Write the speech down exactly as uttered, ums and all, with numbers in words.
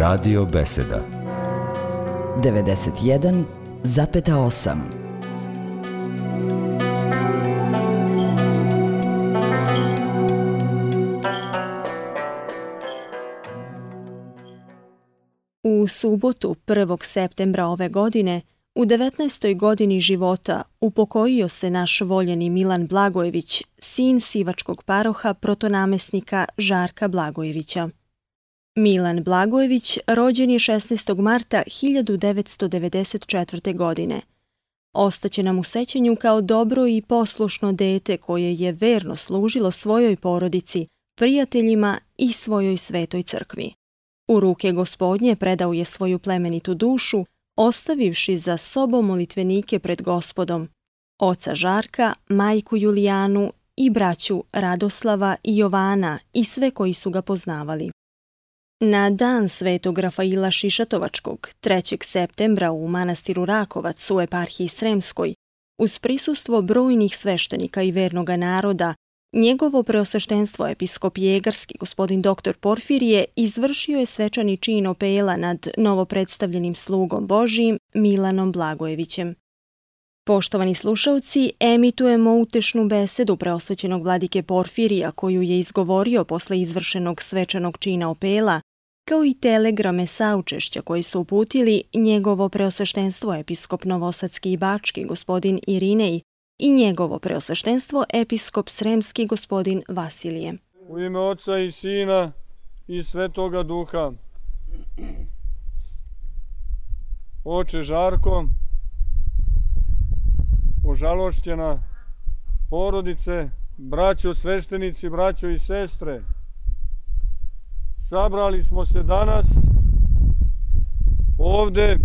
Radio Beseda devedeset jedan zarez osam. U subotu prvog septembra ove godine, u devetnaestoj godini života, upokojio se naš voljeni Milan Blagojević, sin sivačkog paroha protonamesnika Žarka Blagojevića. Milan Blagojević rođen je šesnaestog marta hiljadu devetsto devedeset četvrte. godine. Ostaće nam u sećanju kao dobro i poslušno dete koje je verno služilo svojoj porodici, prijateljima i svojoj svetoj crkvi. U ruke Gospodnje predao je svoju plemenitu dušu, ostavivši za sobom molitvenike pred Gospodom, oca Žarka, majku Julijanu i braću Radoslava i Jovana i sve koji su ga poznavali. Na dan svetog Rafaila Šišatovačkog, trećeg septembra u manastiru Rakovac u eparhiji Sremskoj, uz prisustvo brojnih sveštenika i vernoga naroda, njegovo preosveštenstvo episkop Jegarski, gospodin doktor Porfirije, izvršio je svečani čin opela nad novopredstavljenim slugom Božijim Milanom Blagojevićem. Poštovani slušaoci, emitujemo utešnu besedu preosvećenog vladike Porfirija koju je izgovorio posle izvršenog svečanog čina opela, kao i telegrame saučešća koji su uputili njegovo preosveštenstvo episkop Novosadski i Bački, gospodin Irinej, i njegovo preosveštenstvo episkop Sremski, gospodin Vasilije. U ime Oca i Sina i Svetoga Duha. Oče Žarko, ožalošćena porodice, braćo sveštenici, braćo i sestre, sabrali smo se danas ovde